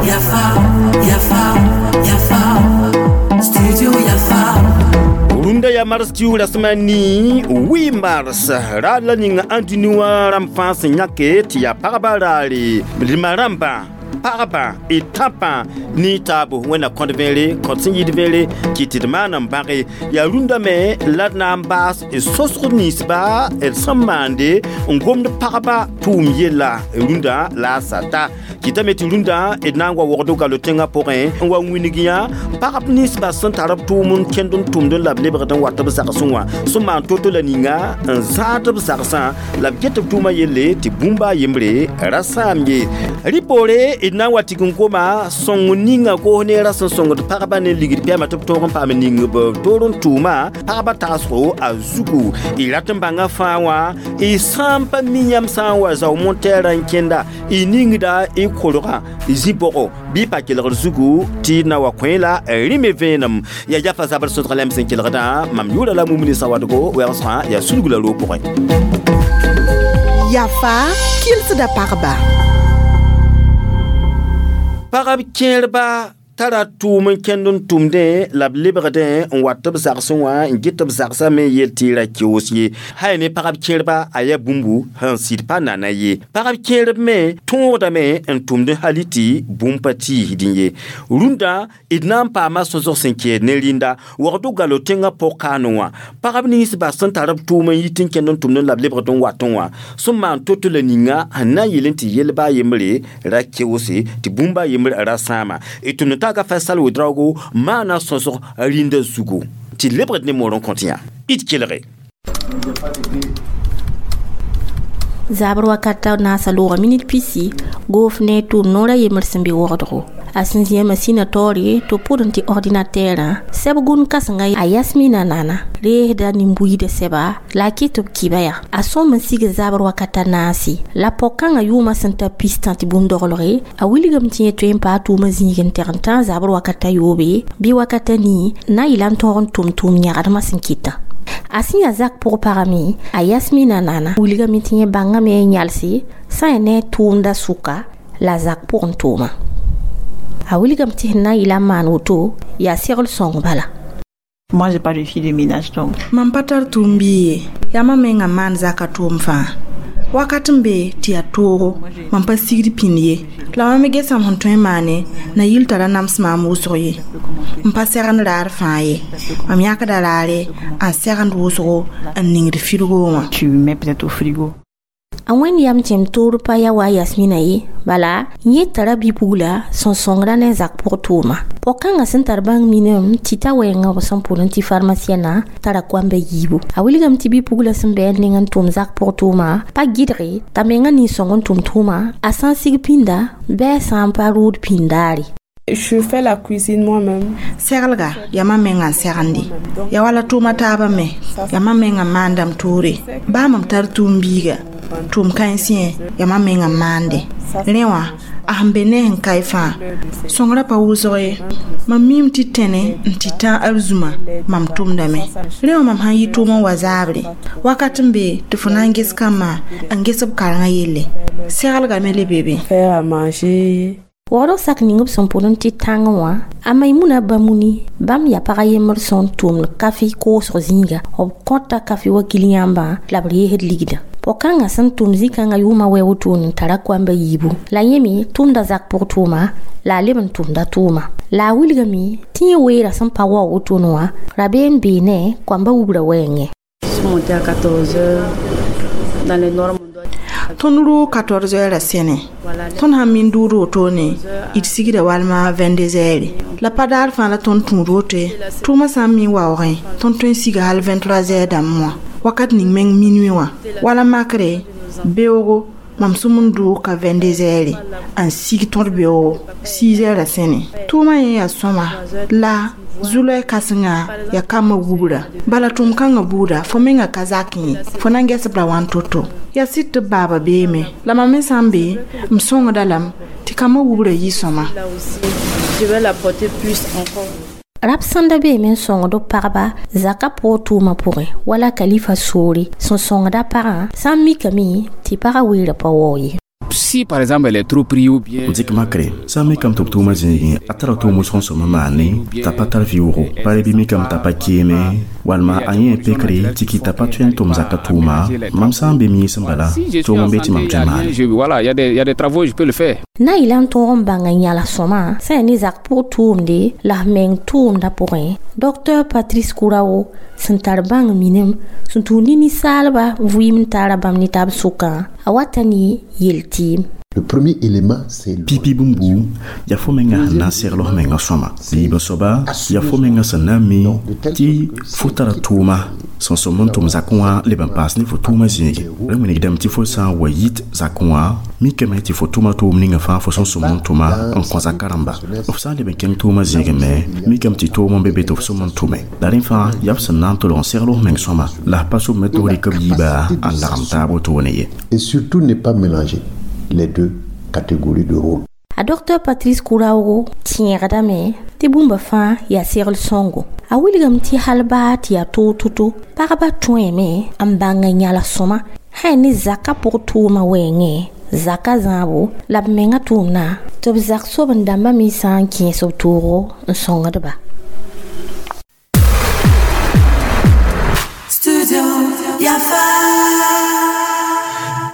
Yafa, Yafa, Yafa, Studio Yafa. Rũndã yaa mars kiuug rasem a nii 8 mars raad la ninga ã dũni wã rãmb fãa sẽn yãke tɩ yaa pagba raare rɩma rãmbã pagba y tãpã ne taabo wẽnna kõd vẽere kõt sẽn yɩɩd vẽere kɩ tɩ d maan n bãge yaa rũndã me la d na n baas d sõsg ninsba d sẽn maande n gomd pagba tʋʋm yella rũndã la a sata kɩtame tɩ rũndã d na n wa wogd galo tẽngã pʋgẽ n wa wĩnig yã pagb ninsba sẽn tar b tʋʋm n kẽnd n tʋmd la b lebgd n wat b zagsẽ wã sẽn maan to-to la ninga n zãad b zagsã la b get b tʋʋmã yelle tɩ bũmba a yembre ra sãam ye rɩ poore d na n wa tig n goma sõng ninga goos neerã sẽn sõngd pagba ne ligd pɛɛmã tɩ b tõog n paam ning b toor n tʋʋma pagba taasgo a zugu y rat n bãngã fãa wã y sã n pa mi yãmb sã n wa zao montɛɛrã n kẽnda y ningda y korgã zĩ-bʋgo bɩ pa kelgr zugu tɩ d na wa kõ la rĩme vẽenem yaa yafa zabr sõsg la m sẽn kelgdã mam yʋʋra la mumini sawadgo wɛgsgã yaa sulg la roog pʋgẽ. Yafa kɩlsda pagba. Pagb kẽerba tara tʋʋm n kẽnd n tʋmdẽ la b lebgdẽ n wat b zagsẽ wã n get b zagsã me yel tɩ ra keoos ye ha ne pagb kẽerba a yaa bũmbu sẽn sɩd pa nana ye pagb kẽerb me tõogdame n tʋmd hali tɩ bũmb pa tiisdẽ ye rũndã d na n paama sõsg sẽn kɛɛd ne rĩnda wagdo galo tẽngã pʋg-kaane wã pagb ninsba sẽn tar b tʋʋm n yit n kẽnd n tʋmd la b lebgd n watẽ wã sẽn maan to-to la ninga sẽn na n yel n tɩ yelba a yembre ra keoose tɩ bũmba a yembre ra sãama d tʋmd taga Faisal Ouedraogo maana sõsg rĩndã zugu tɩ lebgd ne moor n kõt yã d kelge. Zabr wakata naasa loogã minit pisi goof ne tʋʋm noorã yembr sẽn be wogdgo a sẽn zĩ a masĩnã taoore tɩ b pʋdẽ tɩ ordinatɛɛrã sɛb gũud kãsenga a Yasmina nana reesda nin-buiidã sɛba la a kɩt b kɩba yaa a sõm n sig zabr wakata naase la pɔg-kãngã yʋʋmã sẽn ta pistã tɩ bũmb-doglge a wilgame tɩ yẽ tõe n paa tʋʋmã zĩig n tɛg n tãag zabr wakata yoobe bɩ wakata nii na n yɩla n tõog n tʋm tʋʋm yãgdmã sẽn kɩtã a sẽn yaa zak pʋg pagame a Yasmina nana wilgame tɩ yẽ bãngame n yalse sã n yaa ne a tʋʋmdã sʋka la a zak pʋgẽ tʋʋma a wilgame tɩ sẽn na n yɩla n maan woto yaa segl sõng bala. Moi, j'ai pas de fille de ménage, donc. Mam pa tar tʋʋm bɩ ye yaa mam menga maan zaka tʋʋm fãa wakat n be tɩ yaa toogo mam pa sigd pĩnd ye la mam me gesame sẽn tõe n maane na yil tara nams maam wʋsg ye n pa segend raar fãa ye mam yãkda raare n segend wʋsgo n ningd frigo wã. Tu mets peut-être au frigo. A wẽnd yam tẽm toor pa ya wa Yasmina ye bala yẽ tara bi-pugla sẽn sõngra ne zak pʋg tʋʋma pɔg-kãngã sẽn tar bãng minim tɩ ta wɛɛngã b sẽn pʋdẽ tɩ farmasiɛnã tara koamba yiibu a wilgame tɩ bi-pugla sẽn bɩ a neng n tʋm zak pʋg tʋʋma pa gɩdge t'a mengã nin-sõng n tʋm tʋʋma a sã n sig pĩnda bɩ a sã n pa rʋʋd pĩndaare. Je fais la cuisine moi-même. Seglga yaa mam menga n segende yaa wala tʋʋma taabã me yaa mam menga n maandame toore baa mam tar tʋʋm biiga tʋʋm kãens yẽ yaa mam menga n maande rẽ wã a sẽn be ne sẽn kae fãa sõngrã pa wʋsg ye mam miime tɩ tẽne n tɩ tã arzũma mam tʋmdame rẽ wã mam sãn yɩ tʋʋm n wa zaabre wakat n be tɩ fo na n ges kambã n ges b karengã yelle seglga me le be be. Faire à manger. Wogdg sak ning b sẽn pʋdẽ tɩ tãngẽ wã a Maimuna bamuni bãmb yaa pag a yembr sẽn tʋmd kafi koosg zĩiga b kõta kafi wa kil yãmbã la b reesd ligdã pɔg-kãngã sẽn tʋm zĩ-kãngã yʋʋmã wɛ wotone n tara koamba yiibu la yẽ me tʋmda zak pʋg tʋʋma la a leb n tʋmda tʋʋma la a wilgame tɩ yẽ weerã sẽn pa wa wotone wã rabeem bee ne koamba wubra wɛɛngẽ. Je suis montée à 14 heures. Dans les normes, on doit Tõnd rʋʋg 14 heures a sẽne tõnd sãn min dʋʋd wotone d sigda walma 22 heures la pa daar fãa la tõnd tũud woto ye tʋʋmã sã n mi waoogẽ tõnd tõe n siga hal 23 heures dãmb wã wakat ning meng minuit wã wala makre beoogo mam sũm n dʋʋg ka 22 heures n sig tõd beoogo 6 heures a sẽne tʋʋmã yẽ yaa sõma la zu-loɛɛ kãsenga yaa kambã wubra bala tʋʋm kãngã buuda fo menga ka zak yẽ fo na n ges b ra wãn to-to yaa sɩd tɩ b baaba beeme la mam me sã n be m sõngda lame tɩ kambã wubra yɩ sõma. Là aussi, je vais l'apporter plus encore. Rab sẽn da beeme n sõngd b pagba zaka pʋg tʋʋmã pʋgẽ wala kalifa soore sẽn sõngda pagã sã n mikame tɩ pagã weerã pa waoog ye. Si par exemple elle est trop pris ou bien dɩk makre sã n mikame tɩ b tʋʋmã zĩigẽ a tara tʋʋm wʋsg n sõm n maane t'a pa tar vɩʋʋgo bala bɩ mikame t'a pa keeme walma a yẽ pekre tɩ kɩ t'a pa tõe n tʋm zaka tʋʋma mam sã n be miis n bala tʋʋm n be tɩ mam tõe n maane. Voilà, il y a des, il y a des travaux, je peux le faire. Na yɩla n tõog n bãnga yãla sõma sã yaa ne zak pʋg tʋʋmde la f meng tʋʋmda pʋgẽ. Docteur Patrice Kourao sẽn tar bãng minim sẽn tʋʋm ne ninsaalba vɩɩm n taara bãmb ne taab sʋkã a wata ne yel-tɩɩm. Le premier élément, c'est pipi bũmbu yaa fo menga sẽn na n segl f menga sõma. Yiibã soaba yaa fo menga sẽn na n mi tɩ fo tara tʋʋma sẽn sõm n tʋm zakẽ wã leb n paas ne fo tʋʋmã zĩige. Rẽ wilgdame tɩ fo sã n wa yit zakẽ wã mikame tɩ fo tʋma tʋʋm ninga fãa fo sẽn sõm n tʋma n kõ zaka rãmba. F sã n leb n kẽng tʋʋmã zĩigẽ me mikame tɩ tʋʋm n be be tɩ f sõm n tʋme. La rẽ fãa yaa f sẽn na n tolg n segl f meng sõma la f pa sʋm me tɩ f rɩk b yiiba n lagem taab wotone ye. Et surtout ne pas mélanger les deux catégories de rôle. A docteur Patrice Kouraogo tẽegdame tɩ bũmba fãa yaa segl sõngo. A wilgame tɩ hal baa tɩ yaa toog to-to pagba tõeme n bãng n yãla sõma sã ne zaka pʋg tʋʋmã wɛɛngẽ zaka zãabo la b menga tʋʋmdã tɩ b zak soben-dãmbã me sã n kẽes b toogo n sõngdba. Studio Yafa.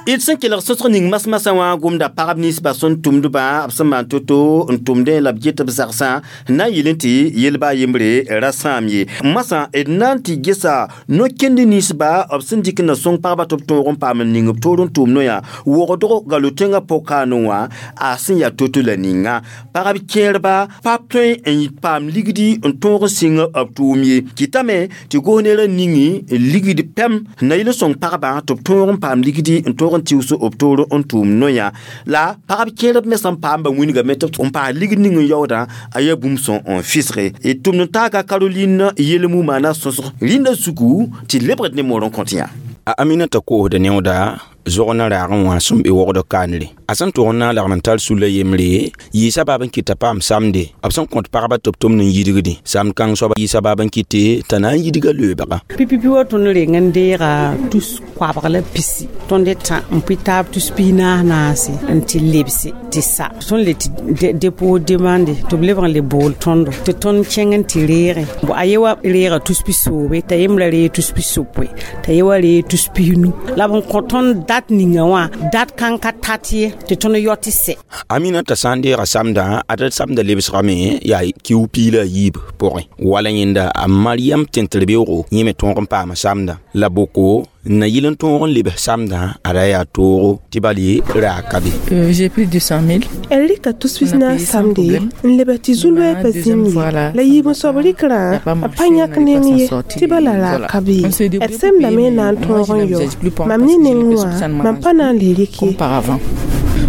D sẽn kelg sõsg ning mas-masã wã gomda pagb ninsbã sẽn tʋmdbã b sẽn maan to-to n tʋmdẽ la b get b zagsã n na n yɩl n tɩ yelba a yembre ra sãam ye. Masã d na n tɩ gesa no-kend ninsba b sẽn dɩk n na sõng pagba tɩ b tõog n paam n ning b toor n tʋʋm noyã wogdg galo tẽngã pʋg-kaanẽ wã a sẽn yaa to-to la ninga. Pagb kẽerba pa tõe n paam ligdi n tõog n sɩng b tʋʋm ye. Kɩtame tɩ gos neerã ningi ligd pɛm n na yɩl n sõng pagba tɩ b tõog n paam ligdi n tõog n tɩʋs b toor n tʋʋm noyã la pagb kẽerb me sẽn paamba wĩnigame tɩ n paas ligd ning n yaoodã a yaa bũmb sẽn n fɩsge. D tʋmd n taaga Caroline yelmu maana sõsg rĩndã zugu tɩ lebgd ne moor n kõt yã. A Aminata koosda neooda zog na raagẽ wã sẽn be wogd kaanre. A sẽn tʋg n na n lagm n tar sulla yembre yɩɩsa baab n kɩta paam samde b sẽn kõt pagba tɩ b tʋmd n yidgdi. Samd kãng soaba yɩɩsa baab n kɩte t'a na n yidga loeebga. Pipipi wa tõnd reng n deega tus koabg la pisi tõnd tã n pʋɩ taab tus pis-naas naase n tɩ lebse tɩ sa tõnd le tɩ dépôt demande tɩ b lebg n le bool tõndo tɩ tõnd kẽng n tɩ reegẽ bo a ye wa reega tus pi-soobe t'a yembrã reeg tus pi-sopoe t'a ye wa reeg tus pis-nu la b n kõ tõnd dat ninga wã dat kãng ka tat ye tɩ tõnd yao tɩ sɛ. Aminata sã n deega samdã ad samda lebsgame yaa kiu piila a yiib pʋgẽ wala yẽnda a Mariam tẽntr beoogo yẽ me tõog n paama samdã la boko n na yɩl n tõog n lebs samdã ada yaa toogo tɩ bal raag ka be. J'ai pris 200 000. Elle rɩka tus pis-naas samde n lebs tɩ zu-loɛɛ pa zĩm ye la yiib n soab rɩkrã a pa yãk neng ye tɩ bala raag ka be ye. D semdame n na n tõog n yao mam ne neng wã mam pa na n le rɩk ye.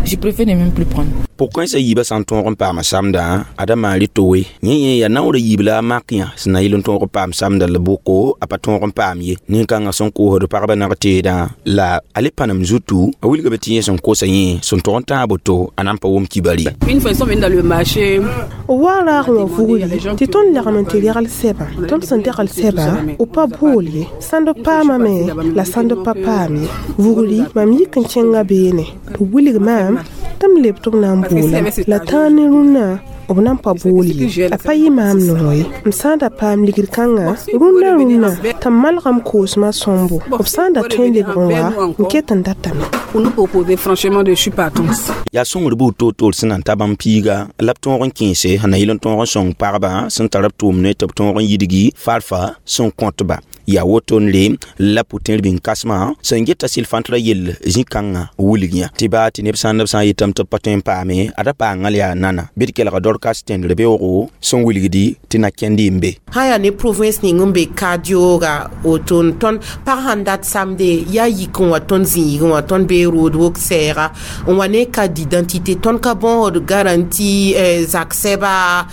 Je préfère ne même plus prendre. Pʋg-kãensã yiibã sã n tõog n paama samdã ada maan rɩ-to-we yẽ yẽ yaa naoorã yiib la a mak yã sẽn na yɩl n tõog n paam samda la boko a pa tõog n paam ye. Nin-kãngã sẽn koosd pagba nag-teedã la a le pãnem zutu a wilgame tɩ yẽ sẽn kosa yẽ sẽn tog n tãag boto a na n pa wʋm kibar ye. Une fois, ils sont venus dans le marché. B wa raag wã vugri tɩ tõnd lagm n tɩ regl sɛbã tõnd sẽn degl sɛbã b pa bool ye sãnd b paamame la sãnd b pa paam ye. Vugri mam yik n kẽnga beene tɩ b wilg maam tɩ m leb tɩ b na n boolame la tãag ne rũnnã b na n pa bool ye a pa yɩ maam noog ye. M sã n da paam ligd kãngã rũnnã rũnnã tɩ m malgame koosmã sõmbo b sã n da tõe n lebg n wa n ket n datame. Pour nous proposer, franchement, je suis partante. Yaa sõngr buud toor-toor sẽn na n ta bãmb piiga la b tõog n kẽese sẽn na yɩl n tõog n sõng pagba sẽn tar b tʋʋmne tɩ b tõog n yidgi farfa sẽn kõtba. Yaa woto n le la pʋtẽer bĩng kãsmã sẽn geta sɩl-fãntrã yell zĩ-kãngã wilg yã tɩ baa tɩ neb sã n b sã n yetame tɩ b pa tõe n paame ada paangã la yaa nana bɩ d kelga Dorcas tẽndr beoogo sẽn wilgdi tɩ na kẽnd n be. Sã yaa ne province ning n be Kadioga woto n tõnd pag sãn dat samde yaa yik n wa tõnd zĩigẽ wã tõnd bee rood wok sɛɛga n wa ne carte d'identité tõnd ka bõosd garantie zak sɛba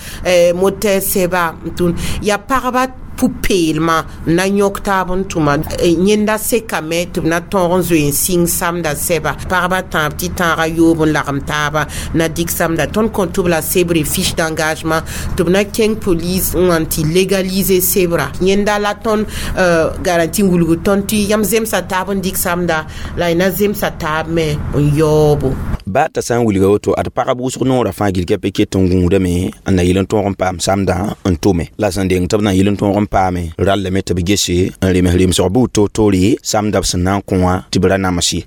moteur sɛba n tʋn yaa pagba Pʋ-peelmã n na yõk taab n tʋma yẽnda sekame tɩ b na tõog n zoe n sɩng samda sɛba pagba tãab tɩ tãaga yoob n lagem taaba na dɩk samda tõnd kõ tɩ b la sebre fiche d'engagement tɩ b na kẽng police n wã n tɩ légaliser sebra yẽnda la tõnd garanti n wilg tõnd tɩ yãmb zemsa taab n dɩk samda la y na zemsa taab me n yaoobo. Ba t'a sã n wilga woto ad pagb wʋsg noorã fãa gilga pe ket n gũudame n na yɩl n tõog n paam samdã n tome la sẽn deng tɩ b na yɩl n tõog n paame rallame tɩ b gese n rems remsg buud toor-toore samda b sẽn na n kõ wã tɩ b ra nams ye.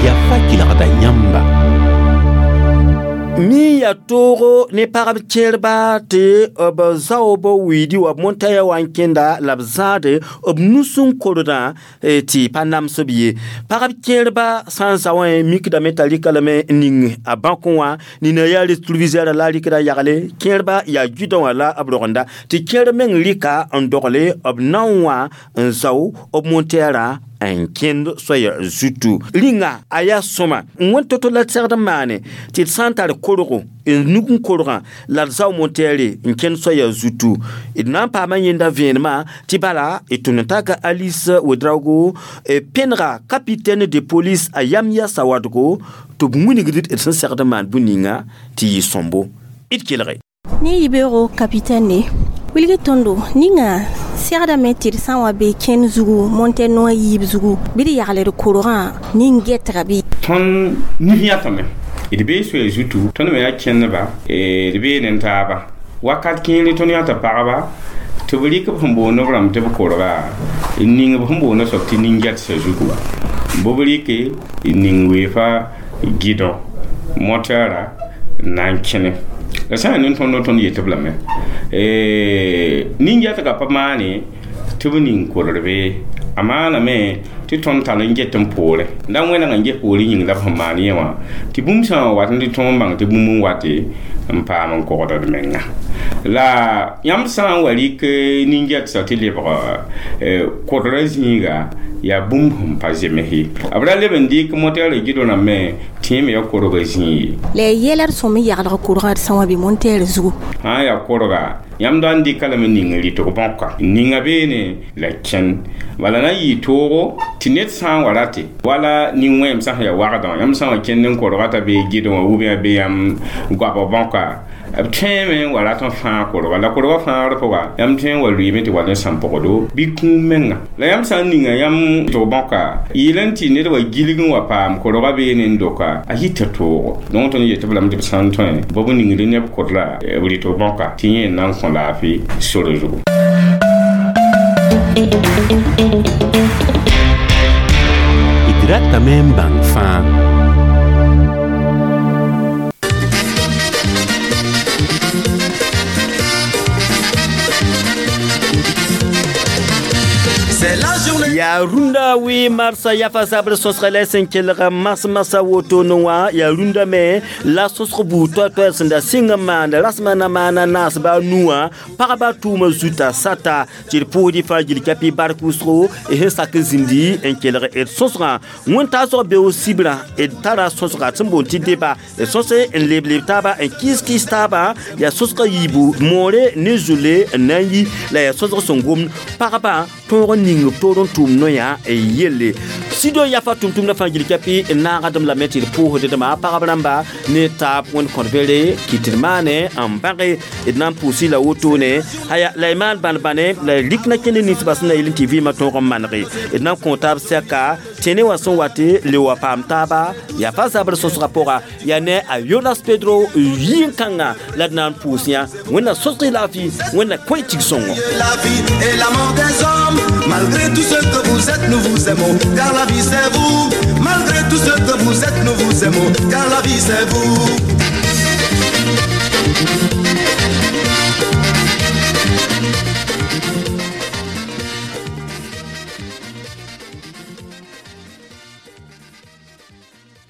Yaa fa kelgda yãmba. Mi ya toogo ne pagb kẽerba tɩ b zao b wiidi wa b montaya wa n kẽnda la b zãade b nus n kordã tɩ pa nams b ye. Pagb kẽerba sã n za wã mikdame t'a rɩka lame n ning a bãkẽ wã nina yaa rétroviseur la a rɩkda yagle kẽerba yaa gɩdã wã la b rogenda tɩ kẽer meng rɩka n dogle b nao wã n zao b montɛɛrã n kẽnd soaya zutu. Rĩnga a yaa sõma n wẽn to-to la d segd n maane tɩ d sã n tar korgo n nug n korgã la d zao montɛɛre n kẽnd soaya zutu. D na n paama yẽnda vẽenemã tɩ bala d tʋm n taka Alice Ouedraogo pẽnega capitaine de police a yam ya sawadgo tɩ b wilgd d sẽn segd n maan bũ-ninga tɩ yɩ sõmbo. D kelge. Ne yibeoogo capitaine wilg tõndo ninga segdame tɩ d sã n wa be kẽnd zugu montɛr noã yiib zugu bɩ d yagled korgã nin-gɛtga bɩ. Tõnd nif yãtame d bee soaya zutu tõnd me yaa kẽndba d bee ne taaba wakat kẽere tõnd yãta pagba tɩ b rɩk b sẽn boond b rãmb tɩ b korga n ning b sẽn boond soab tɩ nin-gɛtsa zugu wã bɩ b rɩke n ning weefa gɩdõ motɛɛra n na n kẽne la sã n yaa nin-tõnd tõnd yet b lame nin-gɛtga pa maane tɩ b ning korgrbe a maaname tɩ tõnd tar n get n poorẽ la wẽneg n ges poorẽ yĩng la b sẽn maan yẽ wã tɩ bũmb sã n wat n tɩ tõog n bãng tɩ bũmb n wate n paam n kogd d menga la yãmb sã n wa rɩk nin-gɛtsa tɩ lebg kodrã zĩiga yaa bũmb sẽn pa zems ye b ra leb n dɩk motɛɛrã gɩdõ rãmbẽ tẽeme yaa korgã zĩig ye. La y yɛla d sõm n yaglg korgã d sã n wa bɩ montɛɛr zugu. Sã n yaa korga yãmb da n dɩka lame n ning rɩtg bõka n ninga beene la kẽnd bala na n yɩ toogo tɩ ned sã n wa rate wala nin-wẽem sã sẽn yaa wagdã wã yãmb sã n wa kẽnd n korga t'a bee gɩdẽ wã ou bien bee yãmb goabg bõka b tõeme n wa rat n fãag korga la korga fãagr pʋga yãmb tõe n wa lʋɩɩme tɩ wa ne sãn-pʋgdo bɩ kũum menga la yãmb sã n ninga yãmb tɩg bõka yɩɩl n tɩ ned wa gilg n wa paam korga beene n doka a yita toogo donc tõnd yet b lame tɩ b sã n tõe bɩ b ningd neb kodra b rɩtg bõka tɩ yẽ n na n kõ laafɩ sore zugu. D ratame n bãng fãa. Yaa rũndã wɩ marsa yafa zabr sõsga la sẽn kelg mas-masã wotone wã yaa rũndã me la sõsg buud toɛ-toɛɛr sẽn da sɩng n maand rasmã na maana naasba a nu wã pagba tʋʋmã zuta sata tɩ d pʋʋsdɩ fãa gil kapi bark wʋsgo d sẽn sak n zĩndi n kelg d sõsgã wẽn-taasg beoog sibrã d tara sõsga sẽn boond tɩ deba d sõs n leb-leb taaba n kɩs-kɩs taaba yaa sõsgã yiibu moore ne zule n na n yi la yaa sõsg sẽn gomd pagba tõog n ning b toor n tʋʋm noya yelle sido yafa tʋm-tʋmdã fãa gil kapi n naagadem lame tɩ d pʋʋsdma pagb rãmba ne taab wẽnd kõt-bere kɩ tɩ d maane n bãge d na n pʋʋsɩ la wotone aya la y maan bãn-bãne la y rɩk na kẽnd ninsbã sẽn na yel n tɩ vɩɩmã tõog n manege d na n kõ taab sɛka tẽne wã sẽn wate le wa paam taaba yaa fa zabr sõsgã pʋga yaa ne a Yonas Pedro yĩn-kãngã la d na n pʋʋs yã Wẽnna sõsg y laafɩ Wẽnna kõ y tig-sõngo. La vie et la mort des hommes, malgré tout ce que vous êtes, nous vous aimons, car la vie c'est vous. Malgré tout ce que vous êtes, nous vous aimons, car la vie c'est vous.